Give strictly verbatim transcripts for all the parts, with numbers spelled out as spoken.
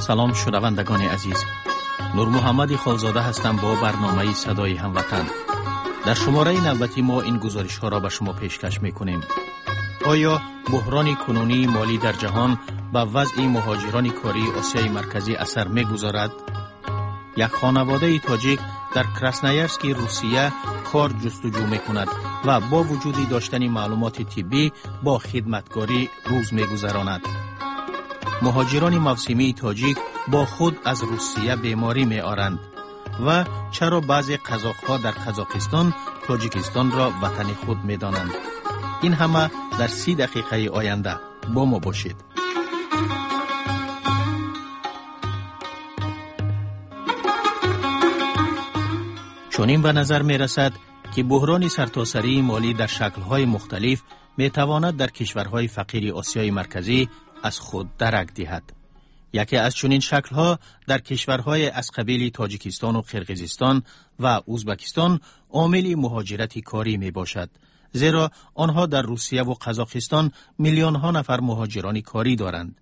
Салом, шунавандагони азиз. Нурмуҳаммади Холзода ҳастам бо барномаи «Садои ҳамватан». Дар шумораи навбати мо ин гузоришҳоро ба шумо пешкаш мекунем. Оё буҳрони кунунии молӣ дар ҷаҳон ба вазъи муҳоҷирони кории Осиёи Марказӣ асар мегузорад? Як хонаводаи тоҷик дар Красноярски Русия кор ҷустуҷӯ мекунад ва бо вуҷуди доштани маълумоти тиббӣ бо хидматкорӣ рӯз мегузаронад. Муҳоҷирони мавсимии тоҷик бо худ аз Русия беморӣ меоранд ва чаро баъзе қазоқҳо дар Қазоқистон Тоҷикистонро ватани худ медонанд? Ин ҳама дар си дақиқаи оянда бо мо бошед. Чунин ба назар мерасад, ки буҳрони сартосарии молӣ дар шаклҳои мухталиф метавонад дар кишварҳои фақири Осиёи Марказӣ аз худ дарак диҳад. Яке аз чунин шаклҳо дар кишварҳои аз қабили Тоҷикистону Қирғизистон ва Узбакистон омили муҳоҷирати корӣ мебошад, зеро онҳо дар Русия ва Қазоқистон миллионҳо нафар муҳоҷирони корӣ доранд.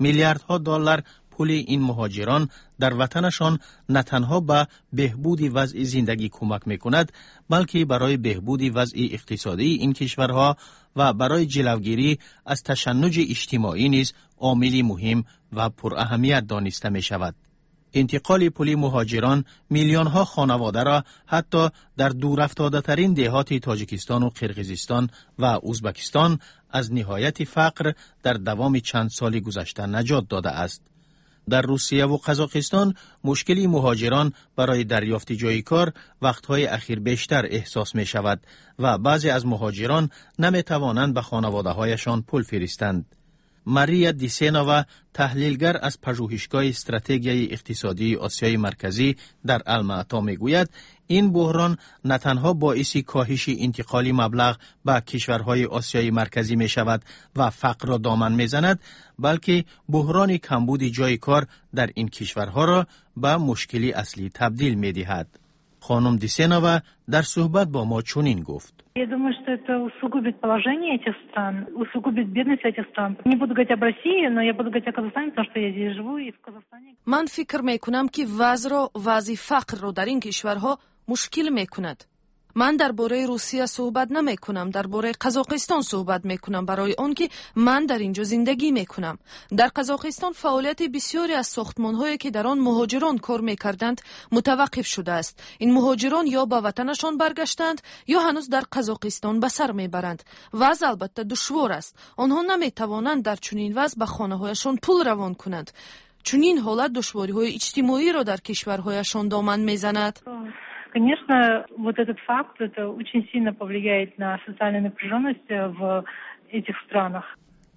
Миллиардҳо доллар пули ин муҳоҷирон дар ватанашон на танҳо ба беҳбуди вазъи зиндагӣ кӯмак мекунад, балки барои беҳбуди вазъи иқтисодии ин кишварҳо ва барои ҷилавгирӣ аз ташаннуҷи иҷтимоӣ низ омили муҳим ва пураҳамият дониста мешавад. Интиқоли пули муҳоҷирон миллионҳо хонаводаро ҳатто дар дурафтодатарин деҳоти Тоҷикистону Қирғизистон ва Узбакистон аз ниҳояти фақр дар давоми чанд соли гузашта наҷот додааст. Дар Русия ва Қазоқистон мушкили муҳоҷирон барои дарёфти ҷои кор вақтҳои ахир бештар эҳсос мешавад ва баъзе аз муҳоҷирон наметавонанд ба хонаводаҳояшон пул фиристанд. Мария Дисенова, таҳлилгар аз пажӯҳишгоҳи стратегияи иқтисодии Осиёи Марказӣ дар Алмаато, мегӯяд, ин буҳрон на танҳо боиси коҳиши интиқоли маблағ ба кишварҳои Осиёи Марказӣ мешавад ва фақрро доман мезанад, балки буҳрони камбуди ҷои кор дар ин кишварҳоро ба мушкили аслӣ табдил медиҳад. Хонум Дисенова дар суҳбат бо мо чунин гуфт. Я думаю, что это усугубит положение этих стран, усугубит бедность этих стран. Не буду говорить об России, но я буду говорить о Казахстане, потому что я здесь живу и в Казахстане. Ман фикр мекунам, ки вазъро, вазъи фақрро дар ин кишварҳо мушкил мекунад. Ман дар бораи Русия суҳбат намекунам, дар бораи Қазоқистон суҳбат мекунам, барои он ки ман дар ин ҷо зиндагӣ мекунам. Дар Қазоқистон фаъолияти бисёре аз сохтмонҳое, ки дар он муҳоҷирон кор мекарданд, мутаваққиф шудааст. Ин муҳоҷирон ё ба ватанашон баргаштаанд, ё ҳанӯз дар Қазоқистон ба сар мебаранд. Вазъ албатта душвор аст. Онҳо наметавонанд дар чунин вазъ ба хонаҳояшон пул равон кунанд. Чунин ҳолат душвориҳои иҷтимоиро дар кишварҳояшон доман мезанад. Конечно, вот этот факт, это очень сильно повлияет на социальную напряженность в этих странах.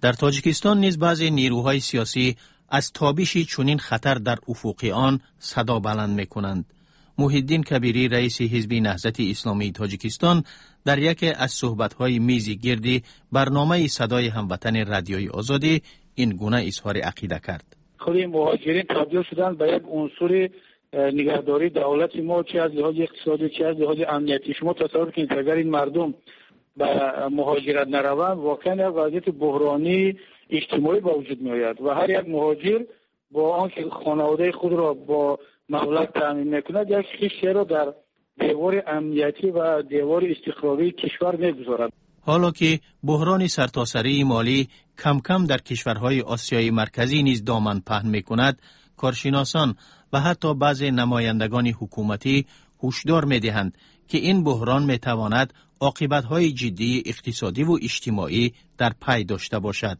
Дар Тоҷикистон низ баъзе нерӯҳои сиёсӣ аз тобиши чунин хатар дар уфуқи он садо баланд мекунанд. Муҳиддин Кабирӣ, раиси Ҳизби Наҳзати Исломии Тоҷикистон, дар яке аз суҳбатҳои мизи гирди барномаи «Садои ҳамватани» Радиои Озодӣ ин гуна изҳори ақида кард. Худи муҳоҷирин табдил шуданд ба як унсури нигаҳдории давлати мо, чи аз лиҳози иқтисодӣ, чи аз лиҳози амниятӣ. Шумо тасаввур кунед, агар ин мардум ба муҳоҷират нараванд, воқеан як вазъияти буҳронии иҷтимоӣ ба вуҷуд меояд ва ҳар як муҳоҷир бо он ки хонаводаи худро бо маблағ таъмин мекунад, як хиштеро дар девори амниятӣ ва девори истиқрории кишвар мегузорад. Ҳоло ки буҳрони сартосарии молӣ камкам дар кишварҳои Осиёи Марказӣ низ доман паҳн мекунад, коршиносон ва ҳатто баъзе намояндагони ҳукуматӣ ҳушдор медиҳанд, ки ин буҳрон метавонад оқибатҳои ҷиддии иқтисодиву иҷтимоӣ дар пай дошта бошад.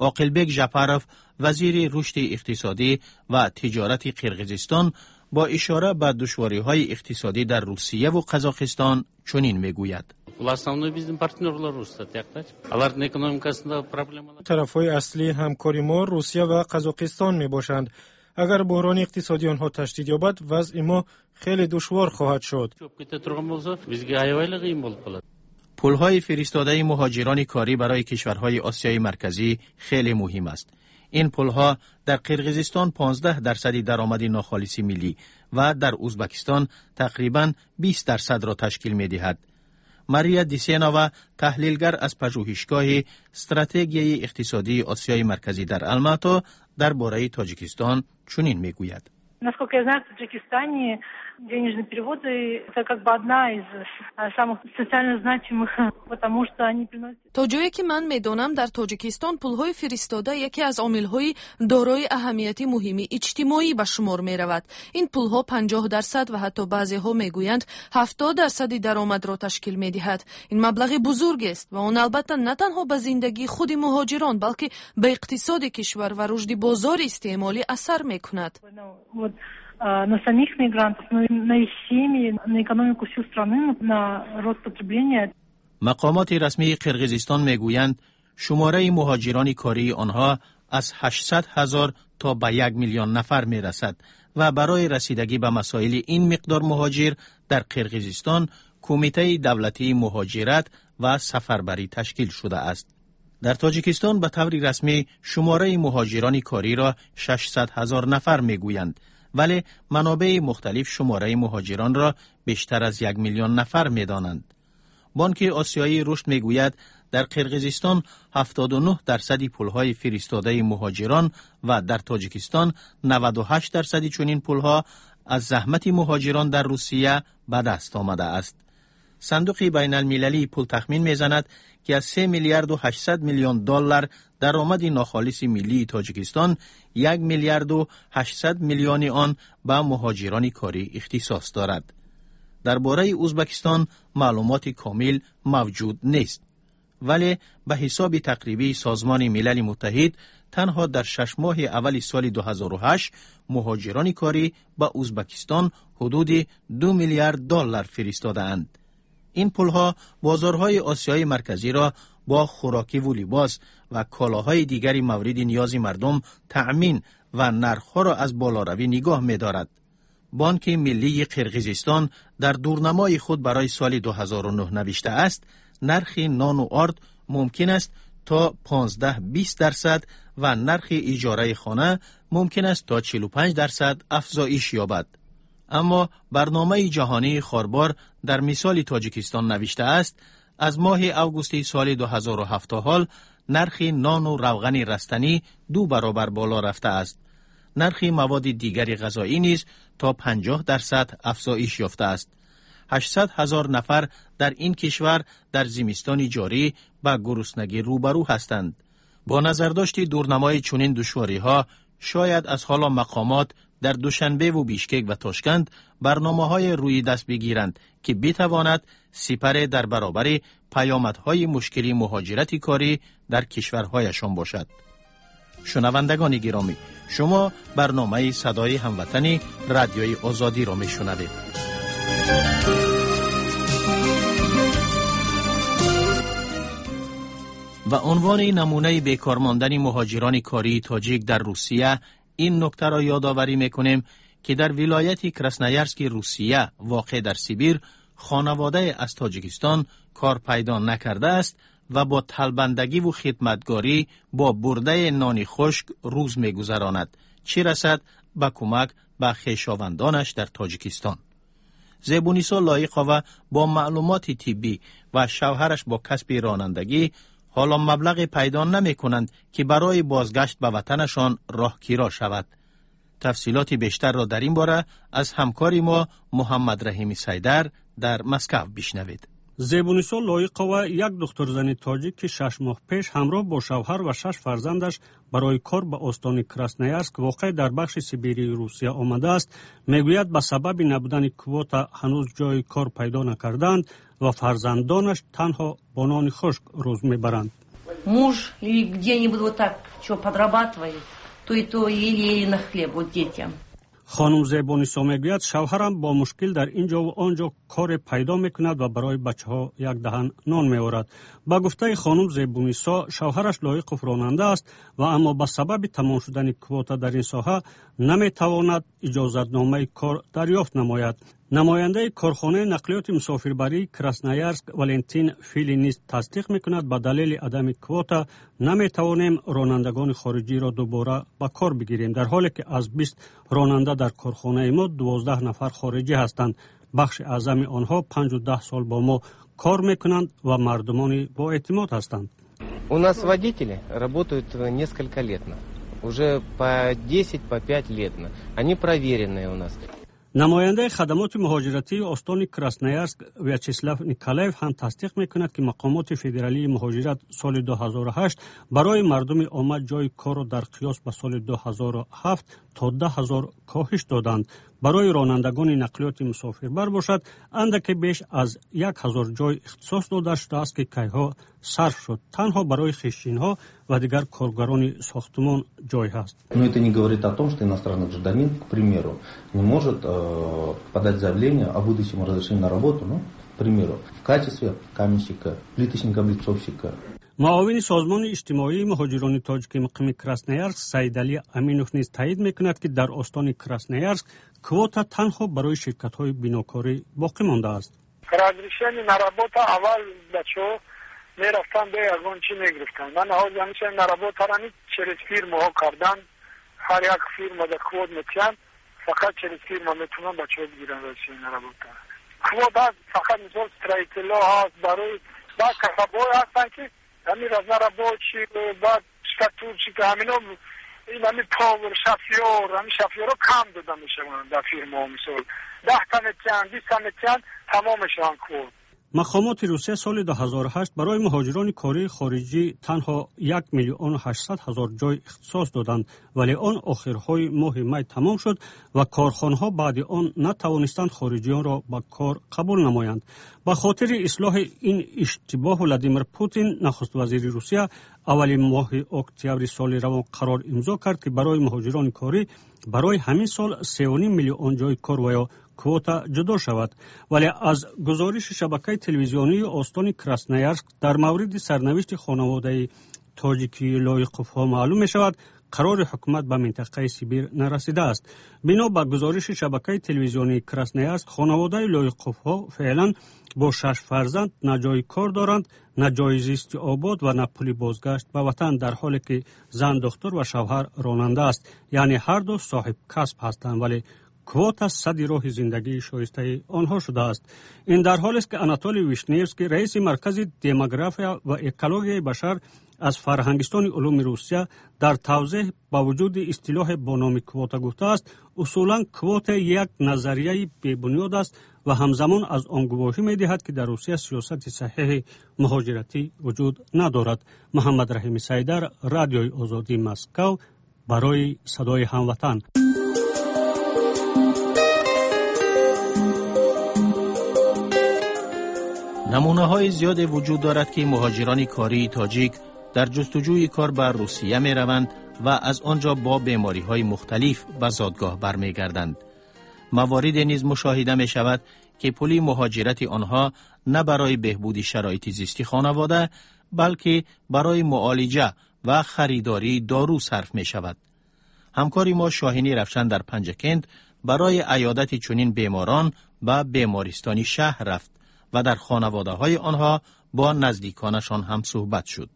Оқилбек Жапаров, вазири рушди иқтисодӣ ва тиҷорати Қирғизистон, бо ишора ба душвориҳои иқтисодӣ дар Русияву Қазоқистон чунин мегӯяд. Бул основной биздин партнерлорубуз да тияктачы, алардын экономикасында проблемалар. Тарафҳои аслии ҳамкори мо Русия ва Қазоқистон мебошанд. Агар буҳрони иқтисодии онҳо ташдид ёбад, вазъи мо хеле душвор хоҳад шуд. Чөкүп кете турган болсо, бизге аябай эле кыйын болуп калат. Пулҳои фиристодаи муҳоҷирони корӣ барои кишварҳои Осиёи Марказӣ хеле муҳим аст. Ин пулҳо дар Қирғизистон понздаҳ дарсади даромади нохолиси миллӣ ва дар Узбакистон тақрибан бист дарсадро ташкил медиҳад. Мария Дисенова, таҳлилгар аз пажӯҳишгоҳи стратегияи иқтисодии Осиёи Марказӣ дар Алмато, дар бораи Тоҷикистон чунин мегӯяд. Насколько я знаю, в Таджикистане денежные переводы – это как бы одна из самых социально значимых, потому что они приносят... То ҷое ки ман медонам, дар Тоҷикистон пулҳои фиристода яке аз омилҳои дорои аҳамияти муҳими иҷтимоӣ ба шумор меравад. Ин пулҳо панҷоҳ дарсад ва ҳатто баъзеҳо мегӯянд, ҳафтод дарсади даромадро ташкил медиҳад. Ин маблағи бузургест ва он албатта на танҳо ба зиндагии худи муҳоҷирон, балки ба иқтисоди кишвар ва рушди бозори истеъмолӣ асар мекунад. Вот, на самих мигрантов, но и на их семьи, на экономику всей страны, на рост потребления. Мақомоти расмии Қирғизистон мегӯянд, шумораи муҳоҷирони кории онҳо аз ҳаштсад ҳазор то ба як миллион нафар мерасад ва барои расидагӣ ба масоили ин миқдор муҳоҷир дар Қирғизистон Кумитаи давлатии муҳоҷират ва сафарбарӣ ташкил шудааст. Дар Тоҷикистон ба таври расмӣ шумораи муҳоҷирони кориро шашсад ҳазор нафар мегӯянд, вале манобеи мухталиф шумораи муҳоҷиронро бештар аз як миллион нафар медонанд. Бонки Осиёии рушд мегӯяд, дар Қирғизистон ҳафтоду нӯҳ дарсади пулҳои фиристодаи муҳоҷирон ва дар Тоҷикистон наваду ҳашт дарсади чунин пулҳо аз заҳмати муҳоҷирон дар Русия ба даст омадааст. Сандуқи байналмилалии пул тахмин мезанад, ки аз се миллиарду ҳаштсад миллион доллар даромади нохолиси миллии Тоҷикистон як миллиарду ҳаштсад миллиони он ба муҳоҷирони корӣ ихтисос дорад. Дар бораи Узбекистон маълумоти комил мавҷуд нест, вале ба ҳисоби тақрибии Созмони Милали Муттаҳид танҳо дар шаш моҳи аввали соли ду ҳазору ҳашт муҳоҷирони корӣ ба Узбекистон ҳудуди ду миллиард доллар фиристодаанд. Ин пулҳо бозорҳои Осиёи Марказиро бо хӯрокиву либос ва колоҳои дигари мавриди ниёзи мардум таъмин ва нархҳоро аз болоравӣ нигоҳ медорад. Бонки Миллии Қирғизистон дар дурнамои худ барои соли ду ҳазору нӯҳ навиштааст, нархи нону орд мумкин аст то понздаҳ бист дарсад ва нархи иҷораи хона мумкин аст то чилу панҷ дарсад афзоиш ёбад. Аммо Барномаи ҷаҳонии хорбор дар мисоли Тоҷикистон навиштааст, аз моҳи августи соли ду ҳазору ҳафт то ҳол нархи нону равғани растанӣ ду баробар боло рафтааст. Нархи маводи дигари ғазоӣ низ то панҷоҳ дарсад афзоиш ёфтааст. ҳаштсад ҳазор нафар дар ин кишвар дар зимистони ҷорӣ ба гуруснагӣ рӯбарӯ ҳастанд. Бо назардошти дурнамои чунин душвориҳо, шояд аз ҳоло мақомот дар Душанбеву Бишкек ва Тошканд барномаҳое рӯи даст бигиранд, ки битавонад сипаре дар баробари паёмадҳои мушкили муҳоҷирати корӣ дар кишварҳояшон бошад. Шунавандагони гиромӣ, шумо барномаи Садои ҳамватани Радиои Озодиро мешунавед. Ба унвони намунаи бекор мондани муҳоҷирони кории тоҷик дар Русия ин нуктаро ёдоварӣ мекунем, ки дар вилояти Красноярски Русия, воқеъ дар Сибир, хонаводае аз Тоҷикистон кор пайдо накардааст ва бо талбандагиву хидматгорӣ бо бурдаи нони хушк рӯз мегузаронад, чӣ расад ба кӯмак ба хешовандонаш дар Тоҷикистон. Зебунисо Лоиқова бо маълумоти тиббӣ ва шавҳараш бо касби ронандагӣ ҳоло маблағе пайдо намекунанд, ки барои бозгашт ба ватанашон роҳкиро шавад. Тафсилоти бештарро дар ин бора аз ҳамкори мо Муҳаммадраҳими Сайдар дар Москав бишнавед. Зебунисо Лоиқова, як духтурзани тоҷик, ки шаш моҳ пеш ҳамроҳ бо шавҳар ва шаш фарзандаш барои кор ба остони Красноярск, воқеъ дар бахши Сибирии Русия, омадааст, мегӯяд, ба сабаби набудани квота ҳанӯз ҷои кор пайдо накардаанд ва фарзандонаш танҳо бо нони хушк рӯз мебаранд. Муж или где-нибудь вот так что подрабатывает, то и то еле-еле на хлеб вот детям. Хонум Зебонисо мегӯяд, шавҳарам бо мушкил дар ин ҷову он ҷо коре пайдо мекунад ва барои бачаҳо як даҳан нон меорад. Ба гуфтаи хонум Зебунисо, шавҳараш Лоиқов ронанда аст ва аммо ба сабаби тамом шудани квота дар ин соҳа наметавонад иҷозатномаи кор дарёфт намояд. Намояндаи корхонаи нақлиёти мусофирбарии Красноярск Валентин Фили низ тасдиқ мекунад, ба далели адами квота наметавонем ронандагони хориҷиро дубора ба кор бигирем, дар ҳоле ки аз бист ронанда дар корхонаи мо дувоздаҳ нафар хориҷӣ ҳастанд. Бахши аъзами онҳо панҷу даҳ сол бо мо Кор мекунанд ва мардумони боэътимод ҳастанд. У нас водители работают несколько лет, уже по десять, по пять лет. Они проверенные у нас. Намояндаи хадамоти муҳоҷиратии остони Красноярск Вячеслав Николаев ҳам тасдиқ мекунад, ки мақомоти федералии муҳоҷират соли ду ҳазору ҳашт барои мардуми омма ҷойи корро дар қиёс ба соли ду ҳазору ҳафт то даҳ ҳазор коҳиш доданд. Барои ронандагони нақлиёти мусофирбар бошад, андаке беш аз як ҳазор ҷой ихтисос дода шудааст, ки кайҳо сарф шуд. Танҳо барои хишчинҳо ва дигар коргарони сохтумон ҷой ҳаст. Но это не говорит о том, что иностранный гражданин, к примеру, не может э, подать заявление о выдаче ему разрешения на работу, ну, к примеру, в качестве каменщика, плиточника-облицовщика. Муовини созмони иҷтимоии муҳоҷирони тоҷики муқими Красноярск Саидалӣ Аминов низ таъид мекунад, ки дар остони Красноярск квота танҳо барои ширкатҳои бинокорӣ боқӣ мондааст. Разрешение на работа аввал бачаҳо мерафтанд, бе ягон чӣ мегирифтанд. Ман ҳозир ҳамеша на работа рани через фирмаҳо кардан. Ҳар як фирма да квот метиҳанд, фақат через фирма метавонанд бачаҳо бигиранд разрешение на работа. Квот ҳаст фақат, мисол, строитель о ҳаст, барои баъд касабҳое ҳастанд, ки ҳамин разнорабочий, баъд штукатурщик, ҳамино, ин ҳамин повар, шофёр. Ҳамин шофёрҳо кам дода мешаванд дар фирмаҳо. Мисол, даҳта метиҳанд, биста метиҳанд, тамом мешаванд квот. Мақомоти Русия соли ду ҳазору ҳашт барои муҳоҷирони кории хориҷӣ танҳо як миллиону ҳаштсад ҳазор ҷой ихтисос доданд, вале он охирҳои моҳи май тамом шуд ва корхонаҳо баъди он натавонистанд хориҷиёнро ба кор қабул намоянд. Ба хотири ислоҳи ин иштибоҳ Владимир Путин, нахуствазири Русия, аввали моҳи октябри соли равон қарор имзо кард, ки барои муҳоҷирони корӣ барои ҳамин сол сеюним миллион ҷои кор ва ё квота ҷудо шавад. Вале аз гузориши шабакаи телевизионии остони Красноярск дар мавриди сарнавишти хонаводаи тоҷикии Лоиқовҳо маълум мешавад, қарори ҳукумат ба минтақаи Сибир нарасидааст. Бино ба гузориши шабакаи телевизионии Красноярск, хонаводаи Лоиқовҳо феълан бо шаш фарзанд на ҷои кор доранд, на ҷои зисти обод ва на пули бозгашт ба ватан, дар ҳоле ки зан духтур ва шавҳар ронанда аст, яъне ҳарду соҳиб касб ҳастанд, вале квота садди роҳи зиндагии шоистаи онҳо шудааст. Ин дар ҳолест, ки Анатолий Вишневский, раиси Маркази демография ва экологияи башар аз Фарҳангистони улуми Русия, дар тавзеҳ ба вуҷуди истилоҳе бо номи квота гуфтааст, усулан квота як назарияи бебунёд аст ва ҳамзамон аз он гувоҳӣ медиҳад, ки дар Русия сиёсати саҳеҳи муҳоҷиратӣ вуҷуд надорад. Муҳаммад Раҳими Сайдар, Радиои Озодӣ, Москав, барои Садои ҳамватан. Намунаҳои зиёде вуҷуд дорад, ки муҳоҷирони кории тоҷик дар ҷустуҷӯи кор ба Русия мераванд ва аз он ҷо бо бемориҳои мухталиф ба зодгоҳ бармегарданд. Мавориде низ мушоҳида мешавад, ки пули муҳоҷирати онҳо на барои беҳбуди шароити зисти хонавода, балки барои муолиҷа ва харидории дору сарф мешавад. Ҳамкори мо Шоҳинӣ Равшан дар Панҷакент барои аёдати чунин беморон ба бемористони шаҳр рафт ва дар хонаводаҳои онҳо бо наздиконашон ҳам суҳбат шуд.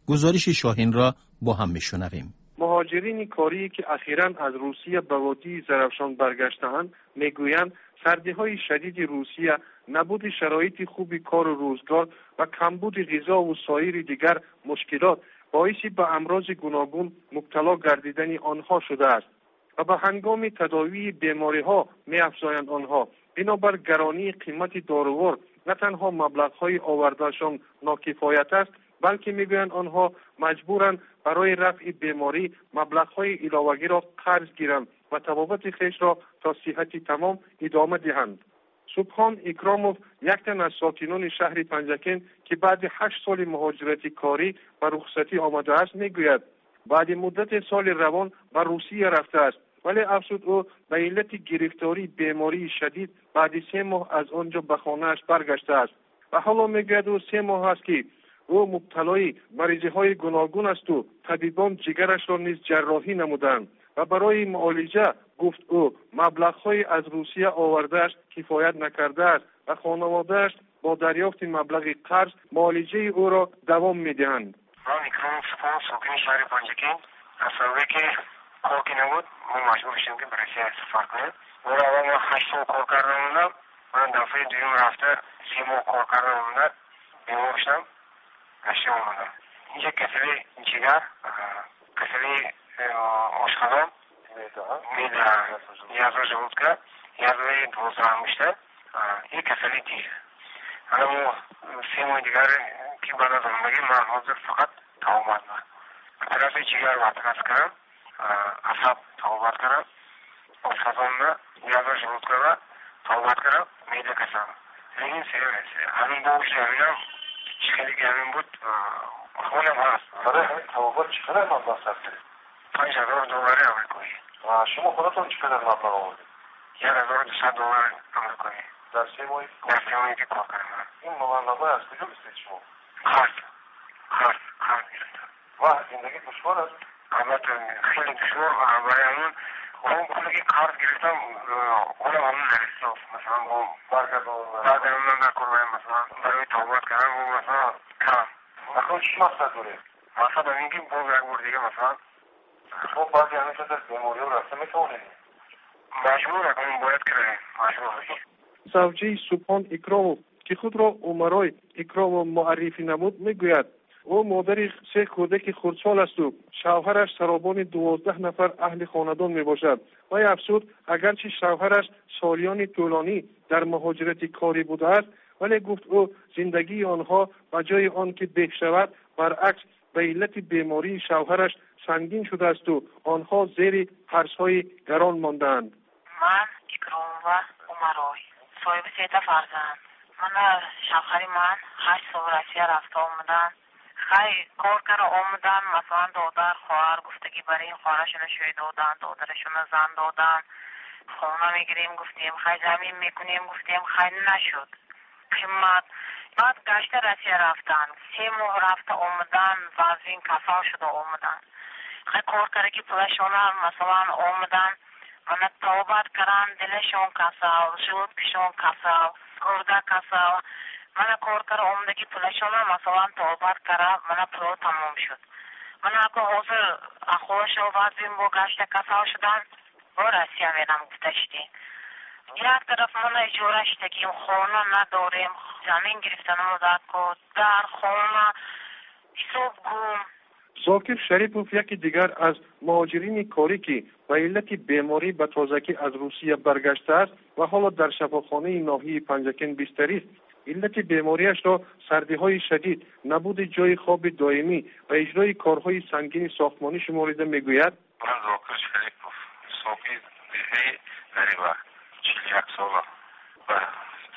Гузориши Шоҳинро бо ҳам мешунавем. Муҳоҷирини корие, ки ахиран аз Русия ба водии Зарафшон баргаштаанд, мегӯянд, сардиҳои шадиди Русия, набуди шароити хуби кору рӯзгор ва камбуди ғизову соири дигар мушкилот боиси ба амрози гуногун мубтало гардидани онҳо шудааст ва ба ҳангоми тадовии бемориҳо, меафзоянд онҳо, бинобар гаронии қимати дорувор на танҳо маблағҳои овардаашон нокифоят аст, балки, мегӯянд онҳо, маҷбуранд барои рафъи беморӣ маблағҳои иловагиро қарз гиранд ва табобати хешро то сиҳати тамом идома диҳанд. Субҳон Икромов, як тан аз сокинони шаҳри Панҷакент, ки баъди ҳашт соли муҳоҷирати корӣ ба рухсатӣ омадааст, мегӯяд, баъди муддате соли равон ба Русия рафтааст, вале, афзуд ӯ, ба иллати гирифтории бемории шадид баъди се моҳ аз он ҷо ба хонааш баргаштааст. Ва ҳоло, мегӯяд ӯ, се моҳ аст, ки ӯ мубталои маризиҳои гуногун асту табибон ҷигарашро низ ҷарроҳӣ намуданд ва барои муолиҷа, гуфт ӯ, маблағҳои аз Русия овардааш кифоят накардааст ва хонаводааш бо дарёфти маблағи қарз муолиҷаи ӯро давом медиҳанд. Ман Икромов Субҳон, сокини шаҳри Панҷакент. Аз сабабе ки кор ки набуд, мо маҷбур шудем, ки ба Россия сафар кунем. Бори аввал ман ҳашт сол кор карда мондам. Ман дафъаи дуюм рафта се моҳ кор карда омада, бемор шудам, гашта омадам. Инҷа касали ҷигар, касали ошқозон, меъда, язва желудка, язваи дувоздаҳангушта и касали дил. Ана мо се моҳи дигар ки баъд аз омадагӣ ман ҳозир фақат табобат ба оператсияи ҷигар оператсия кардам, асаб табобат кардам, ошқозонда язва желудкада табобат кардам, меъда касал. Лекин ҳамин бо вуҷуди ҳаминам чӣ хеле ки ҳамин буд, ҳолам ҳаст. Барои ҳамин табобат чӣ қадар маблағ сарф кардед? Панҷ ҳазор доллари амрикоӣ. Ва шумо худатон чӣ қадар маблағ овардед? Як ҳазору дусад доллари амрикоӣ. Дар се моҳи дар се моҳе ки кор кардам. Ин маблағ аз куҷо гирифтед шумо? Қарз, қарз, қарз гирифтам. Ва зиндагӣ душвор аст? Албатта, хеле душвор. Барои ҳамин он пуле ки қарз гирифтам, ҳолам ҳамин нарасид. Масалан, бо баргардондан дар кор, масалан, барои табобат кардан, масалан, кам. Акнун чӣ мақсад доред? Мақсад ҳамин ки боз як бор дига, масалан, шумо баъди ҳамин қадар бемориҳо рафта метавонед? Маҷбур акнун бояд кардем, маҷбур. Завҷаи Субҳон Икромов, ки худро Умарой Икромов муаррифӣ намуд, мегӯяд, ӯ модари се кӯдаки хурдсол асту шавҳараш саробони дувоздаҳ нафар аҳли хонадон мебошад. Вай афзуд, агарчи шавҳараш солиёни тӯлонӣ дар муҳоҷирати корӣ будааст, вале гуфт ӯ, зиндагии онҳо ба ҷои он ки беҳ шавад, баръакс ба иллати бемории шавҳараш сангин шудаасту онҳо зери қарзҳои гарон мондаанд. Ман Икромова Умарой, соҳиби сета фарзанд. Мана шавҳари ман ҳашт сол Россия рафта омадан. Хай кор кара омадан, масалан, додар, хоҳар гуфтагӣ бар ин хоҳарашона шӯй додан, додарашона зан додан. Хона мегирем гуфтем, хай замин мекунем гуфтем, хай нашуд. Қимат. Баъд гашта Россия рафтан. Се моҳ рафта омадан, вазин касал шуда омадан. Хай кор кара ки пулашона, масалан, омадан, мана табобат каран, дилашон касал, желудкашон касал, гурда касал. Мана кор кара омадаги пулашона, масалан, табобат кара, мана пуло тамом шуд. Мана ако ҳозир ахволашо вазин бо гашта касал шудан, бо Россия мерам гуфта шудем. Як тараф мана иҷора шудагим, хона надорем, замин гирифтанамо дар кор, дар хона ҳисоб гум. Зокир Шарипов, яке дигар аз муҳоҷирини корӣ, ки ба иллати беморӣ ба тозагӣ аз Русия баргаштааст ва ҳоло дар шафохонаи ноҳияи Панҷакент бистарист, иллати бемориашро сардиҳои шадид, набуди ҷои хоби доимӣ ва иҷрои корҳои сангини сохтмонӣ шуморида мегӯяд: Ман Зокир Шарипов, сокини деҳаи Нариба, чил як сола, ба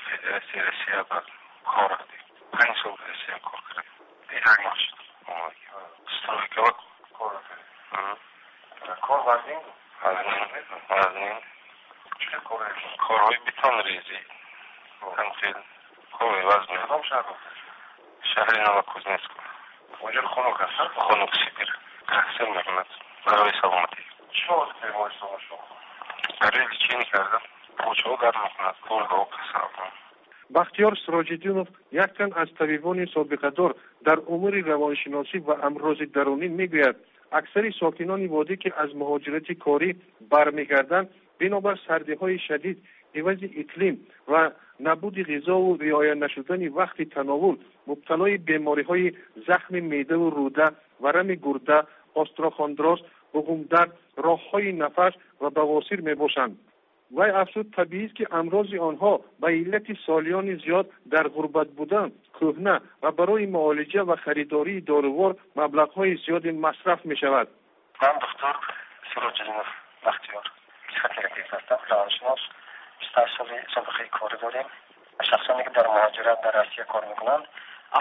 Федератсияи Россия ба кор рафтем. Панҷ сол Россия кор кардем. Як моҳ шуд. Стройкава кор кардем. Кор вазнин буд? Вазнин, вазнин. Чӣ кор? Корҳои бетонрезӣ. Ҳамхел корҳои вазнин. Кадом шаҳр рафтед? Шаҳри Новокузнецк. Онҷо хунук аст? Хунук, Сибир. Таҳсил мекунад барои саломатӣ. Чӣ шуд бемористон шумо? Барои лечение кардам. Почаҳо дард мекунад, гурдаҳо касал. Бахтиёр Сироҷиддинов, як тан аз табибони собиқадор дар умури равоншиносӣ ва амрози дарунӣ, мегӯяд, аксари сокинони водӣ, ки аз муҳоҷирати корӣ бармегарданд, бинобар сардиҳои шадид, ивази иқлим ва набуди ғизову риоя нашудани вақти тановул мубталои бемориҳои захми меъдаву рӯда, варами гурда, остеохондроз, буғумдард, роҳҳои нафас ва бавосир мебошанд. Вай афзуд, табиист, ки амрози онҳо ба иллати солиёни зиёд дар ғурбат будан кӯҳна ва барои муолиҷа ва харидории дорувор маблағҳои зиёде масраф мешавад. Ман доктор Сироҷиддинов Бахтиёр, психотерапевт ҳастам, равоншинос, бисту ҳашт соли собиқаи корӣ дорем. Шахсоне ки дар муҳоҷират дар Россия кор мекунанд,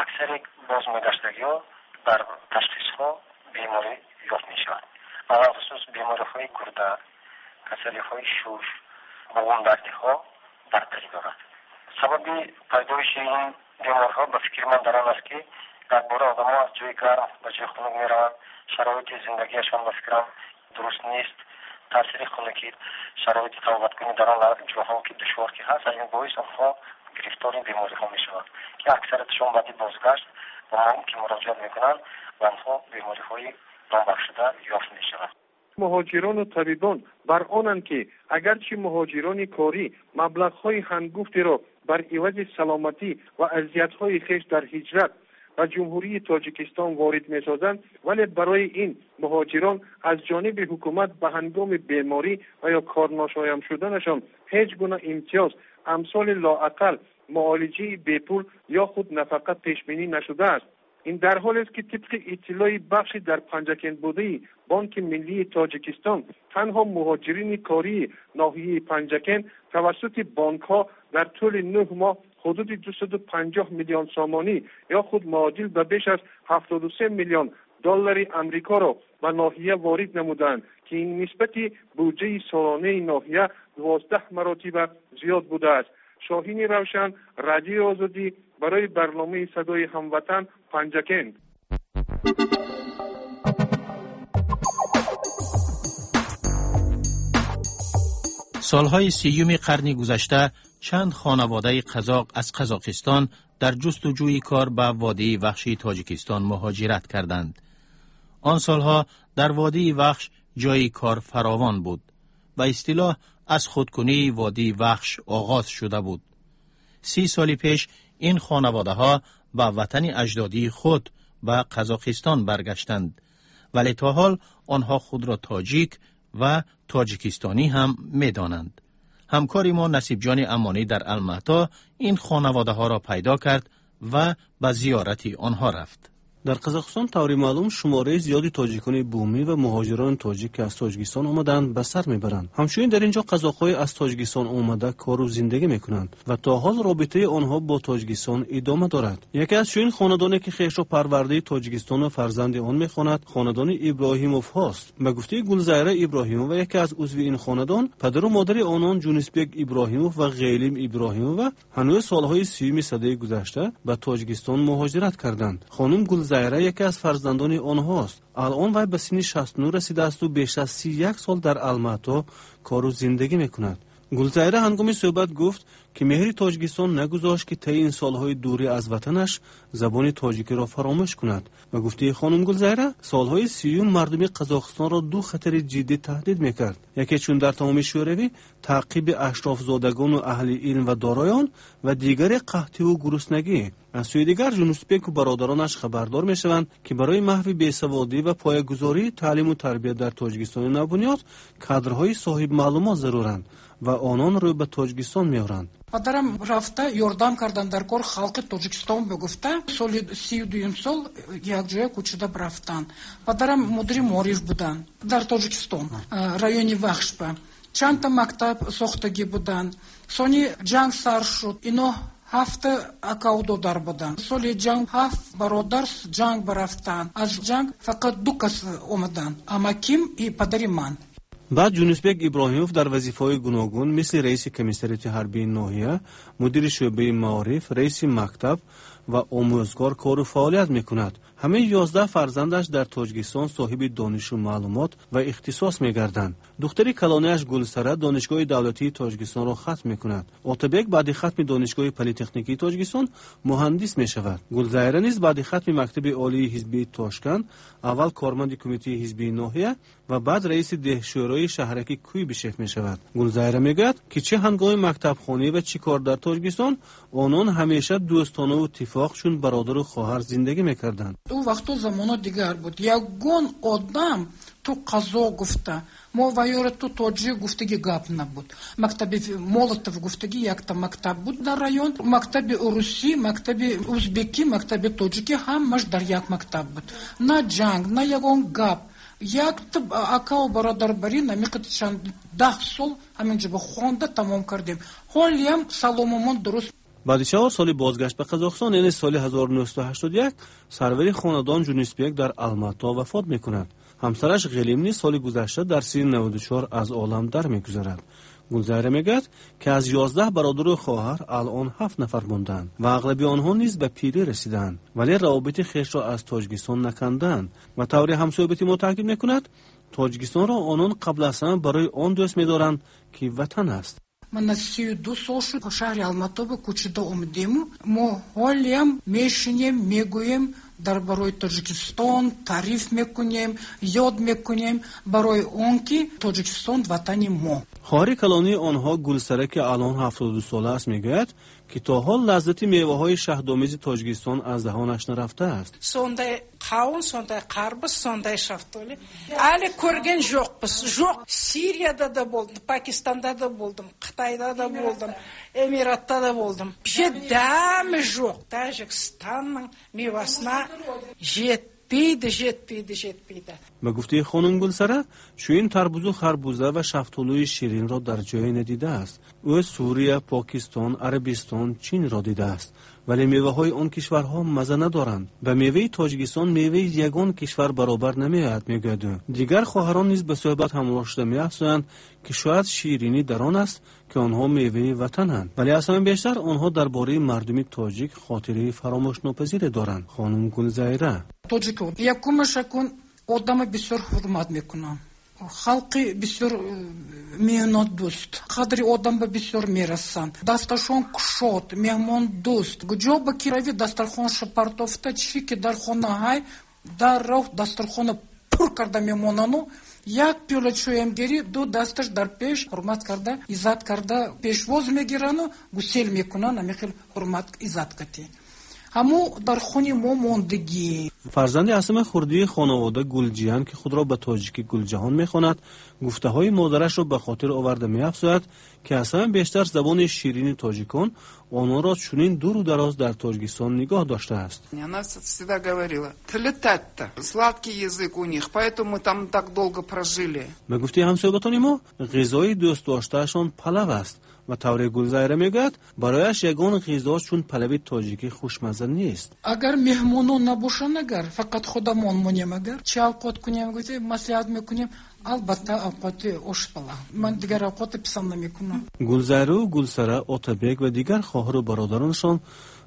аксари бозмегаштагиҳо дар ташхисҳо беморӣ ёфт мешавад. Алалхусус бемориҳои гурда, касалиҳои шуш, буғумдардиҳо бартарӣ дорад. Сабаби пайдоиши ин бемориҳо ба фикри ман дар он аст, ки дар бораи одамо аз ҷои гарм ба ҷои хунук мераванд, шароити зиндагиашон ба фикрам дуруст нест, таъсири хунукӣ, шароити табобаткунӣ дар он ҷоҳо ки душвор ки ҳаст, аз ин боис онҳо гирифтори бемориҳо мешаванд, ки аксариятшон баъди бозгашт ба мо ки муроҷиат мекунанд, ба онҳо бемориҳои номбаршуда ёфт мешавад. Муҳоҷирону табибон бар онанд, ки агарчи муҳоҷирони корӣ маблағҳои ҳангуфтеро бар ивази саломатӣ ва азиятҳои хеш дар ҳиҷрат ба Ҷумҳурии Тоҷикистон ворид месозанд, вале барои ин муҳоҷирон аз ҷониби ҳукумат ба ҳангоми беморӣ ва ё корношоям шуданашон ҳеҷ гуна имтиёз амсоли лоақал муолиҷаи бепул ё худ нафақа пешбинӣ нашудааст. Ин дар ҳолест, ки тибқи иттилои бахши дар Панҷакент будаи Бонки Миллии Тоҷикистон танҳо муҳоҷирини кории ноҳияи Панҷакент тавассути бонкҳо дар тӯли нӯҳ моҳ ҳудуди дусаду панҷоҳ миллион сомонӣ ё худ муодил ба беш аз ҳафтоду се миллион доллари Амрикоро ба ноҳия ворид намуданд, ки ин нисбати буҷаи солонаи ноҳия дувоздаҳ маротиба зиёд будааст. Шоҳини Равшан, Радиои Озодӣ барои барномаи Садои Ҳамватан, Панҷакент. Солҳои сиюми қарни гузашта чанд хонаводаи қазоқ аз Қазоқистон дар ҷустуҷӯи кор ба водии Вахши Тоҷикистон муҳоҷират карданд. Он солҳо дар водии Вахш ҷои кор фаровон буд. Ба истилоҳ аз худкунии водии Вахш оғоз шуда буд. Си соли пеш ин хонаводаҳо ба ватани аҷдодии худ ба Қазоқистон баргаштанд, вале то ҳол онҳо худро тоҷик ва тоҷикистонӣ ҳам медонанд. Ҳамкори мо Насибҷони Амонӣ дар Алмато ин хонаводаҳоро пайдо кард ва ба зиёрати онҳо рафт. Дар Қазоқистон таври маълум шумораи зиёди тоҷикони бумӣ ва муҳоҷирони тоҷик, ки аз Тоҷикистон омадаанд, ба сар мебаранд. Ҳамчунин дар ин ҷо қазоқҳое аз Тоҷикистон омада кору зиндагӣ мекунанд ва то ҳол робитаи онҳо бо Тоҷикистон идома дорад. Яке аз чунин хонадоне, ки хешро парвардаи Тоҷикистону фарзанди он мехонад, хонадони Иброҳимовҳост. Ба гуфтаи Гулзайра Иброҳимова, яке аз узви ин хонадон, падару модари онон Ҷунисбек Иброҳимов ва Ғелим Иброҳимова ҳанӯз солҳои сиюми садаи гузашта ба Тоҷикистон муҳоҷират карданд. Хонум Гулзайра яке аз фарзандони онҳост. Алон вай ба синни шасту нӯҳ расидаасту беш аз си як сол дар Алмато кору зиндагӣ мекунад. Гулзайра ҳангоми суҳбат гуфт, ки меҳри Тоҷикистон нагузошт, ки таи ин солҳои дурӣ аз ватанаш забони тоҷикиро фаромӯш кунад. Ба гуфтаи хонум Гулзайра, солҳои сиюм мардуми Қазоқистонро ду хатари ҷиддӣ таҳдид мекард. Яке чун дар тамоми Шӯравӣ таъқиби ашрофзодагону аҳли илм ва дороён ва дигаре қаҳтиву гуруснагӣ. Аз сӯи дигар Ҷунусбеку бародаронаш хабардор мешаванд, ки барои маҳви бесаводӣ ва поягузории таълиму тарбия дар Тоҷикистони навбунёд кадрҳои соҳибмаълумот заруранд ва онон рӯй ба Тоҷикистон меоранд. Падарам рафта ёрдам кардан дар кор халқи Тоҷикистон бигуфта, соли сию дуюм сол якҷоя кӯчида рафтан. Падарам мудири маориф буданд дар Тоҷикистон, райони Вахшба. Чандта мактаб сохтагӣ буданд. Сони ҷанг сар шуд, ино ҳафта акау додар буданд. Соли ҷанг ҳафт бародар ҷанг барафтанд. Аз ҷанг фақат ду кас омаданд, амаким и падари ман. Баъд Ҷунусбек Иброҳимов дар вазифаҳои гуногун мисли раиси комиссариати ҳарбии ноҳия, мудири шӯъбаи маориф, раиси мактаб ва омӯзгор кору фаъолият мекунад. Ҳамаи ёздаҳ фарзандаш дар Тоҷикистон соҳиби донишу маълумот ва ихтисос мегарданд. Духтари калонааш Гулсара Донишгоҳи давлатии Тоҷикистонро хатм мекунад. Отабек баъди хатми Донишгоҳи политехникии Тоҷикистон муҳандис мешавад. Гулзайра низ баъди хатми мактаби олии ҳизбии Тошканд аввал корманди кумитаи ҳизбии ноҳия ва баъд раиси деҳшӯрои шаҳраки Куйбишев мешавад. Гулзайра мегӯяд, ки чӣ ҳангоми мактабхонӣ ва чӣ кор дар Тоҷикистон онон ҳамеша дӯстонаву тифоқ чун бародару хоҳар зиндагӣ мекарданд. Ӯ вақту замоно дигар буд. Ягон одам ту қазоқ гуфта, мо ваёра ту тоҷик гуфтагӣ гап набуд. Мактаби Молотов гуфтагӣ якта мактаб буд дар район. Мактаби русӣ, мактаби узбекӣ, мактаби тоҷикӣ ҳамаш дар як мактаб буд. На ҷанг, на ягон гап. Якта акау бародар барин намиқат чанд даҳ сол ҳаминҷо хонда тамом кардем. Ҳолиам саломумон дуруст. Баъди чаҳор соли бозгашт ба Қазоқистон, яъне соли ҳазору нӯҳсаду ҳаштоду як, сарвари хонадон Ҷунисбек дар Алмато вафот мекунад. Ҳамсараш Ғелим низ соли гузашта дар синни наваду чор аз олам дар мегузарад. Гулзайра мегӯяд, ки аз ёздаҳ бародару хоҳар алон ҳафт нафар мондаанд ва ағлаби онҳо низ ба пирӣ расидаанд, вале равобити хешро аз Тоҷикистон накандаанд. Ба таври ҳамсӯҳбати мо таъкид мекунад, Тоҷикистонро онон қабл аз ҳама барои он дӯст медоранд, ки ватан аст. Мана сию ду сол шуд шаҳри Алматоба кӯчида омадему. Мо ҳолиам мешинем, мегӯем, Дар барои Тоҷикистон таъриф мекунем, ёд мекунем, барои он ки Тоҷикистон ватани мо. Хоҳари калонии онҳо Гулсара, ки алон ҳафтоду ду сола аст, мегӯяд, ки то ҳол лаззати меваҳои шаҳдомези Тоҷикистон аз даҳонаш нарафтааст. Сондай қауын, сондай қарбыз, сондай шафтоли әлі көрген жоқпыз. Жоқ, Сирияда да болдым, Пакистанда да болдым, Қытайда да болдым, Эмиратта да болдым. Вообще дәмі жоқ. Тәжікстанның мевасына жетпейді, жетпейді, жетпейді. Ба гуфтаи хонум Гулсара, чунин тарбузу харбуза ва шафтолӯи ширинро дар ҷое надидааст. Ӯ Сурия, Покистон, Арабистон, Чинро дидааст, вале меваҳои он кишварҳо маза надоранд. Ба меваи Тоҷикистон меваи ягон кишвар баробар намеояд, мегӯяд ӯ. Дигар хоҳарон низ ба суҳбат ҳамроҳ шуда меафзоянд, ки шояд ширинӣ дар он аст, ки онҳо меваи ватананд, вале аз ҳама бештар онҳо дар бораи мардуми тоҷик хотираи фаромӯшнопазире доранд. Хонум Гулзайра: Тоҷико якумаш акун одама бисёр ҳурмат мекунам, халқи бисёр меҳнатдӯст, қадри одам ба бисёр мерасанд, дасташон кушод, меҳмондӯст. Куҷо ба ки равӣ, дастархонша партофта, чӣ ки дар хона ҳай, дар роҳ дастархона пур карда мемонану як пиёла чоям гирӣ, ду дасташ дар пеш ҳурмат карда, иззат карда пешвоз мегирану гусел мекунанд, ҳамин хел ҳурмат иззат кати. Ҳамо дар хони мо мондагӣ. Фарзанди асами хурдии хонавода Гулҷиян, ки худро ба тоҷикӣ Гулҷаҳон мехонад, гуфтаҳои модарашро ба хотир оварда меафзояд, ки аз ҳама бештар забони ширини тоҷикон ононро чунин дуру дароз дар Тоҷикистон нигоҳ доштааст. Она всегда говорила: тілі тәтті, сладкий язык у них, поэтому мы там так долго прожили. Ба гуфтаи ҳамсӯҳбатони мо, ғизои дӯстдоштаашон палав аст ва тавре Гулзайра мегӯяд, барояш ягон ғизо чун палави тоҷикӣ хушмазза нест. Агар меҳмонон набошанд, агар фақат худамон монем, агар чӣ авқот кунем, маслиҳат мекунем, албатта авқоти ошпала. Ман дигар авқоти писанд намекунам. Гулзайру, Гулсара, Отабек ва дигар хоҳару бародаронашон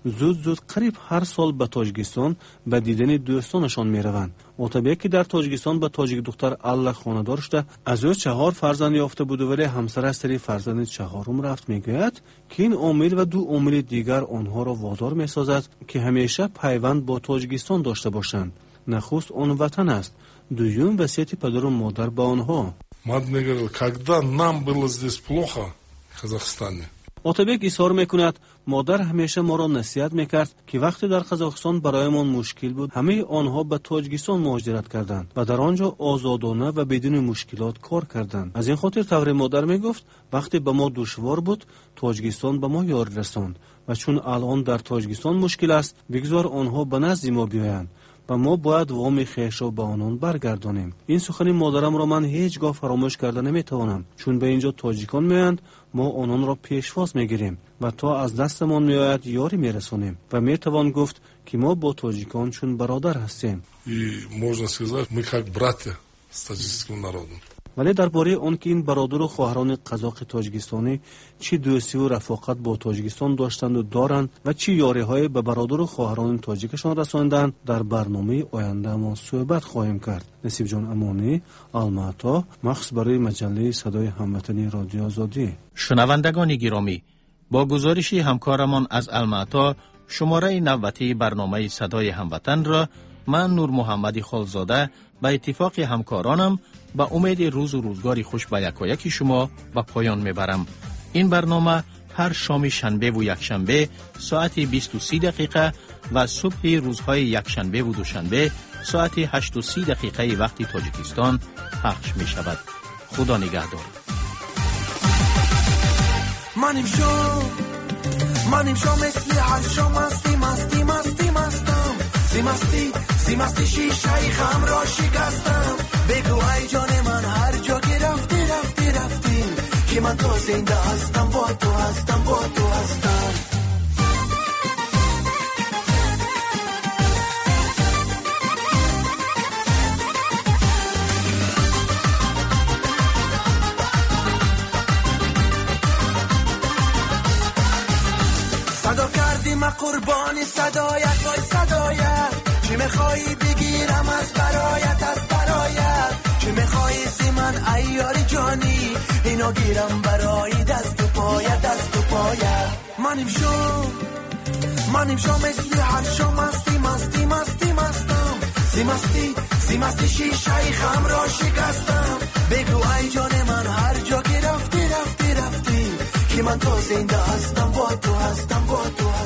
зуд-зуд қариб ҳар сол ба Тоҷикистон ба дидани дӯстонашон мераванд. Отабек, ки дар Тоҷикистон ба тоҷикдухтар Алла хонадор шуда, аз ӯ чаҳор фарзанд ёфта буду, вале ҳамсараш сари фарзанди чаҳорум рафт, мегӯяд, ки ин омил ва ду омили дигар онҳоро водор месозад, ки ҳамеша пайванд бо Тоҷикистон дошта бошанд. Нахуст он ватан аст, дуюм васияти падару модар ба онҳо. Мать мне говорила, когда нам было здесь плохо в Казахстане. Отабек изҳор мекунад, модар ҳамеша моро насиҳат мекард, ки вақте дар Қазоқистон бароямон мушкил буд, ҳамаи онҳо ба Тоҷикистон муҳоҷират карданд ва дар он ҷо озодона ва бидуни мушкилот кор карданд. Аз ин хотир тавре модар мегуфт, вақте ба мо душвор буд, Тоҷикистон ба мо ёрӣ расонд ва чун алон дар Тоҷикистон мушкил аст, бигзор онҳо ба назди мо биёянд ва мо бояд воми хешро ба онон баргардонем. Ин сухани модарамро ман ҳеҷ гоҳ фаромӯш карда наметавонам, чун ба инҷо тоҷикон меоянд, мо ононро пешвоз мегирем ва то аз дастамон меояд ёрӣ мерасонем ва метавон гуфт, ки мо бо тоҷикон чун бародар ҳастем. И можно сказать, мы как братья с таджикским народом. Вале дар бораи он ки ин бародару хоҳарони қазоқи тоҷикистонӣ чӣ дӯстиву рафоқат бо Тоҷикистон доштанду доранд ва чӣ ёриҳое ба бародару хоҳарони тоҷикашон расонданд, дар барномаи ояндаамон суҳбат хоҳем кард. Насибҷон Амонӣ, Алмато, махсус барои маҷаллаи Садои ҳамватани Радиои Озодӣ. Шунавандагони гиромӣ, бо гузориши ҳамкорамон аз Алмато шумораи навбатии барномаи Садои ҳамватанро ман Нурмуҳаммади Холзода ба иттифоқи ҳамкоронам ба умеди рӯзу рӯзгори хуш ба якояки шумо ба поён мебарам. Ин барнома ҳар шоми шанбеву якшанбе соати бисту си дақиқа ва субҳи рӯзҳои якшанбеву душанбе соати ҳашту си дақиқаи вақти Тоҷикистон пахш мешавад. Худо нигаҳдор. Ман имшаб, ман имшаб мисли ҳар шом масти масти масти мастам, зи масти зи масти шишаи ғам ро шикастам. Бигӯ ай ҷони ман ҳар ҷо ки рафтӣ рафтӣ рафтӣ, ки ман то зинда ҳастам бо ту ҳастам бо ту ҳастам. صدا کردی من قربانی صدایت وای صدایت، چی میخوایی بگیرم از برایت از برایت، چی میخوایی سی من ایاری جانی، اینا گیرم برای دست و پایت دست و پایت. من امشب من امشب مثل هر شام مستی مستی مستی مستی Зимастӣ, зимастӣ шишаи хамро шикастам. Бигӯ ай ҷони ман, ҳар ҷо ки рафтӣ, рафтӣ, рафтӣ, ки ман то зинда ҳастам, бо ту ҳастам, бо ту.